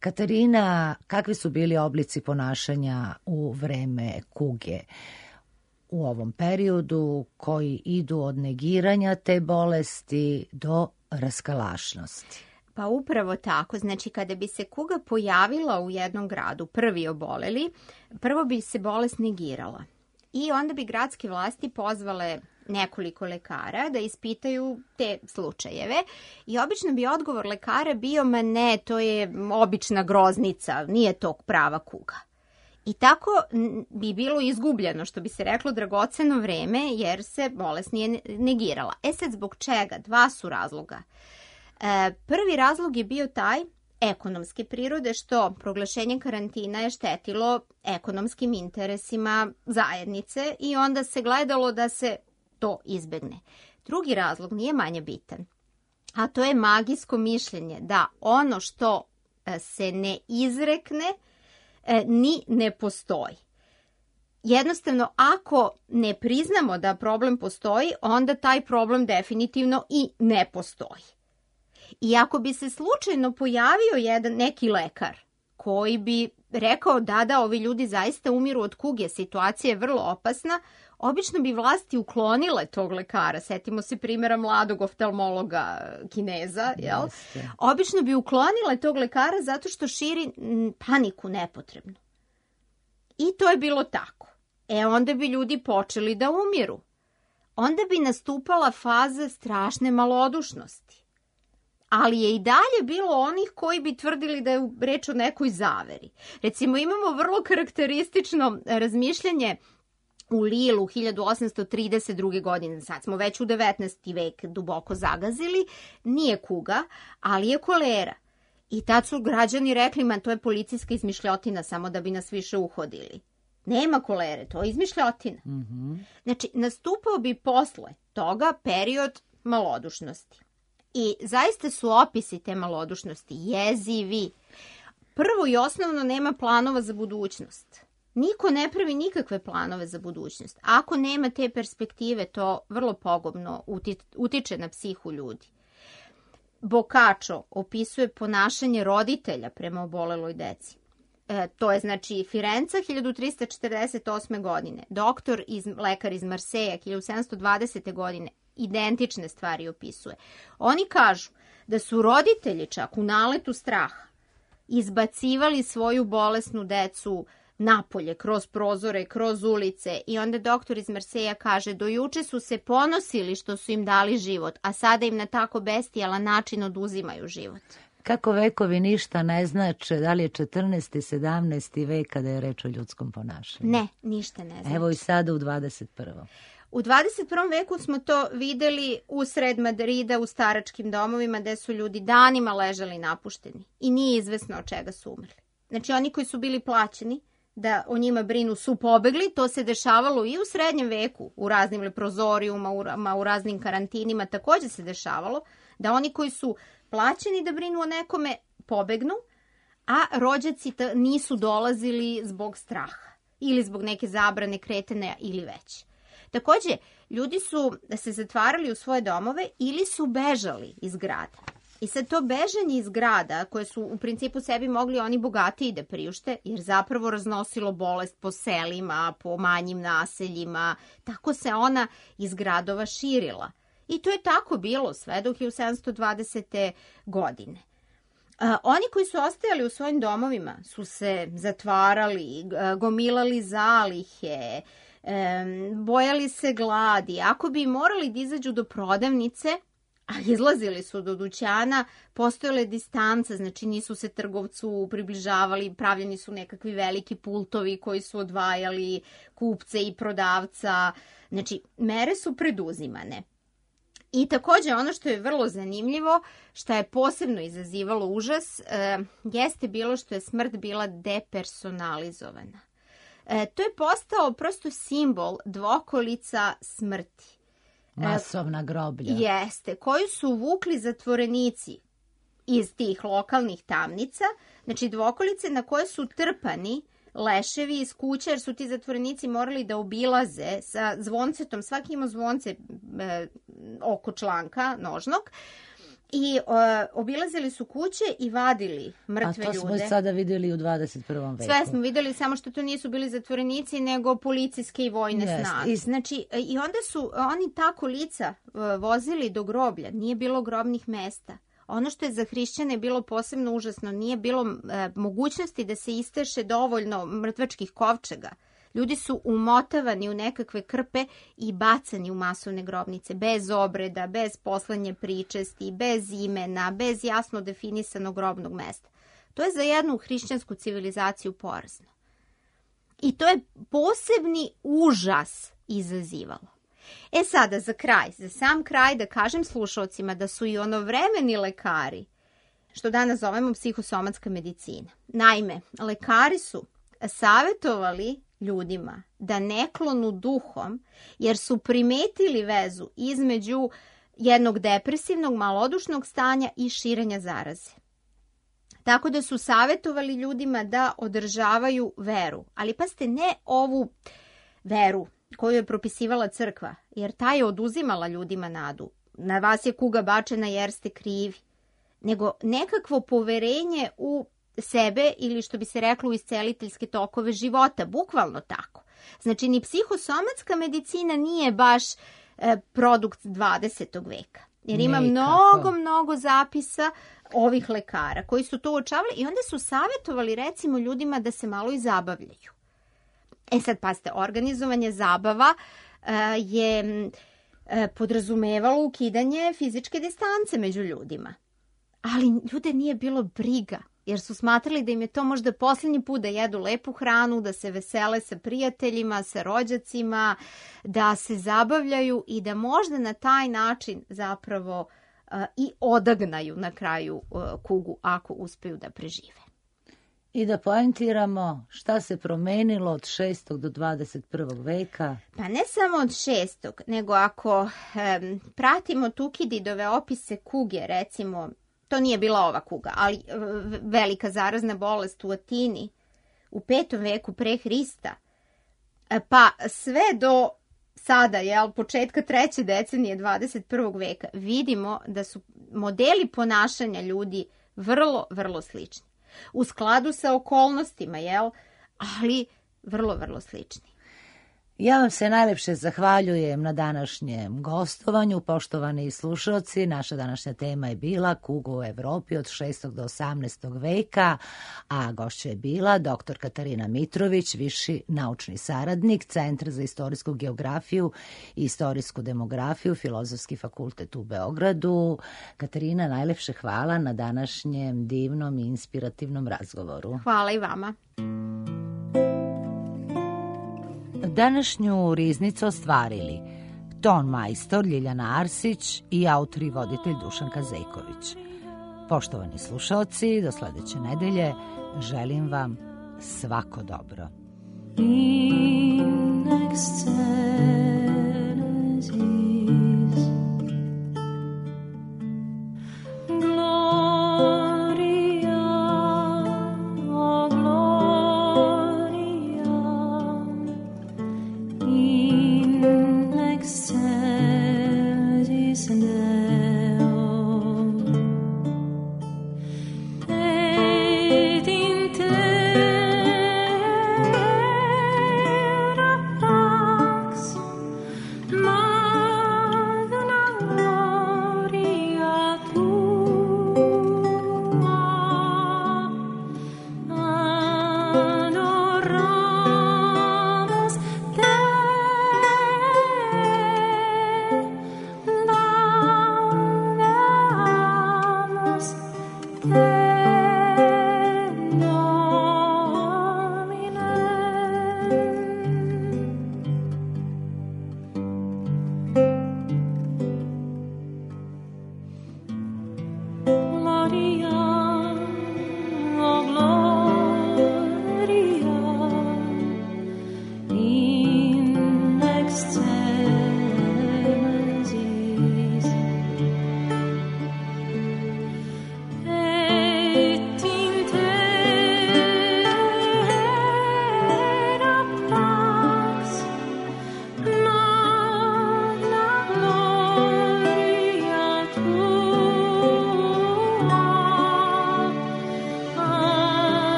Katarina, kakvi su bili oblici ponašanja u vreme kuge u ovom periodu koji idu od negiranja te bolesti do raskalašnosti? Pa upravo tako. Znači, kada bi se kuga pojavila u jednom gradu, prvi oboleli, prvo bi se bolest negirala. I onda bi gradske vlasti pozvale nekoliko lekara da ispitaju te slučajeve i obično bi odgovor lekara bio, ma ne, to je obična groznica, nije to prava kuga. I tako bi bilo izgubljeno, što bi se reklo, dragoceno vreme, jer se bolest nije negirala. E sad, zbog čega? Dva su razloga. E, prvi razlog je bio taj ekonomske prirode, što proglašenje karantina je štetilo ekonomskim interesima zajednice i onda se gledalo da se to izbegne. Drugi razlog nije manje bitan, a to je magijsko mišljenje da ono što se ne izrekne ni ne postoji. Jednostavno, ako ne priznamo da problem postoji, onda taj problem definitivno i ne postoji. I ako bi se slučajno pojavio jedan neki lekar koji bi rekao da, da, ovi ljudi zaista umiru od kuge, situacija je vrlo opasna, obično bi vlasti uklonile tog lekara. Setimo se primjera mladog oftalmologa Kineza, jel? Jeste. Obično bi uklonile tog lekara zato što širi paniku nepotrebnu. I to je bilo tako. E onda bi ljudi počeli da umiru. Onda bi nastupala faza strašne malodušnosti. Ali je i dalje bilo onih koji bi tvrdili da je reč o nekoj zaveri. Recimo, imamo vrlo karakteristično razmišljanje u Lilu hiljadu osamsto trideset druge. godine. Sad smo već u devetnaesti vek duboko zagazili. Nije kuga, ali je kolera. I tad su građani rekli, man, to je policijska izmišljotina, samo da bi nas više uhodili. Nema kolere, to je izmišljotina. Mm-hmm. Znači, nastupao bi posle toga period malodušnosti. I zaista su opisi te malodušnosti jezivi. Prvo i osnovno, nema planova za budućnost. Niko ne pravi nikakve planove za budućnost. Ako nema te perspektive, to vrlo pogubno utiče na psihu ljudi. Boccaccio opisuje ponašanje roditelja prema oboleloj deci. E, to je znači Firenca hiljadu trista četrdeset osme. godine. Doktor, iz, lekar iz Marseja hiljadu sedamsto dvadesete. godine. Identične stvari opisuje. Oni kažu da su roditelji čak u naletu straha izbacivali svoju bolesnu decu napolje, kroz prozore, kroz ulice i onda doktor iz Marseja kaže, do juče su se ponosili što su im dali život, a sada im na tako bestijalan način oduzimaju život. Kako vekovi ništa ne znače, da li je četrnaesti. sedamnaesti. vek kada je reč o ljudskom ponašanju? Ne, ništa ne znači. Evo i sada u dvadeset prvom. U dvadeset prvom veku smo to videli usred Madrida u staračkim domovima gde su ljudi danima ležali napušteni i nije izvesno od čega su umrli. Znači oni koji su bili plaćeni da o njima brinu su pobegli, to se dešavalo i u srednjem veku, u raznim leprozorijuma, u, u raznim karantinima također se dešavalo, da oni koji su plaćeni da brinu o nekome pobegnu, a rođaci nisu dolazili zbog straha ili zbog neke zabrane kretanja ili već. Također, ljudi su se zatvarali u svoje domove ili su bežali iz grada. I sad to bežanje iz grada, koje su u principu sebi mogli oni bogatiji da priušte, jer zapravo raznosilo bolest po selima, po manjim naseljima, tako se ona iz gradova širila. I to je tako bilo sve do hiljadu sedamsto dvadesete. godine. A, oni koji su ostajali u svojim domovima su se zatvarali, gomilali zalihe, bojali se gladi. Ako bi morali da izađu do prodavnice, a izlazili su do dućana, postojale distance, znači nisu se trgovcu približavali, pravljeni su nekakvi veliki pultovi koji su odvajali kupce i prodavca. Znači, mere su preduzimane. I također ono što je vrlo zanimljivo, što je posebno izazivalo užas, e, jeste bilo što je smrt bila depersonalizovana. E, to je postao prosto simbol dvokolica smrti. Masovna groblja. Jeste, koju su vukli zatvorenici iz tih lokalnih tamnica, znači dvokolice na koje su trpani leševi iz kuća, jer su ti zatvorenici morali da obilaze sa zvoncetom, svaki ima zvonce e, oko članka nožnog, i e, obilazili su kuće i vadili mrtve ljude. A to smo ljude. Sada vidjeli u dvadeset prvom veku. Sve smo vidjeli, samo što to nisu bili zatvorenici, nego policijske i vojne yes. snage. I... Znači, i onda su oni tako lica vozili do groblja, nije bilo grobnih mesta. Ono što je za hrišćane bilo posebno užasno, nije bilo e, mogućnosti da se isteše dovoljno mrtvačkih kovčega. Ljudi su umotavani u nekakve krpe i bacani u masovne grobnice, bez obreda, bez poslanje pričesti, bez imena, bez jasno definisanog grobnog mesta. To je za jednu hrišćansku civilizaciju porazno. I to je posebni užas izazivalo. E sada, za kraj, za sam kraj da kažem slušalcima da su i onovremeni lekari, što danas zovemo psihosomatska medicina. Naime, lekari su savjetovali ljudima da ne klonu duhom, jer su primetili vezu između jednog depresivnog, malodušnog stanja i širenja zaraze. Tako da su savjetovali ljudima da održavaju veru. Ali pazite, ne ovu veru koju je propisivala crkva, jer ta je oduzimala ljudima nadu. Na vas je kuga bačena jer ste krivi. Nego nekakvo poverenje u sebe ili što bi se reklo u isceliteljske tokove života, bukvalno tako. Znači ni psihosomatska medicina nije baš e, produkt dvadesetog veka. Jer ima Nekako. mnogo, mnogo zapisa ovih lekara koji su to uočavali i onda su savjetovali recimo ljudima da se malo i zabavljaju. E sad, pazite, organizovanje zabava uh, je uh, podrazumevalo ukidanje fizičke distance među ljudima. Ali ljude nije bilo briga, jer su smatrali da im je to možda posljednji put da jedu lepu hranu, da se vesele sa prijateljima, sa rođacima, da se zabavljaju i da možda na taj način zapravo uh, i odagnaju na kraju uh, kugu ako uspeju da prežive. I da poentiramo šta se promenilo od šestog do dvadeset prvog veka. Pa ne samo od šestog, nego ako um, pratimo Tukididove opise kuge, recimo, to nije bila ova kuga, ali velika zarazna bolest u Atini u petom veku pre Hrista, pa sve do sada, jel, početka treće decenije dvadeset prvog veka, vidimo da su modeli ponašanja ljudi vrlo, vrlo slični. U skladu sa okolnostima, jel, ali vrlo, vrlo slični. Ja vam se najlepše zahvaljujem na današnjem gostovanju, poštovani slušalci. Naša današnja tema je bila kuga u Evropi od šestog do osamnaestog veka, a gošća je bila doktor Katarina Mitrović, viši naučni saradnik Centra za istorijsku geografiju i istorijsku demografiju, Filozofski fakultet u Beogradu. Katarina, najlepše hvala na današnjem divnom i inspirativnom razgovoru. Hvala i vama. Današnju riznicu ostvarili ton majstor Ljiljana Arsić i autor i voditelj Dušanka Zejković. Poštovani slušalci, do sledeće nedelje želim vam svako dobro. Next time.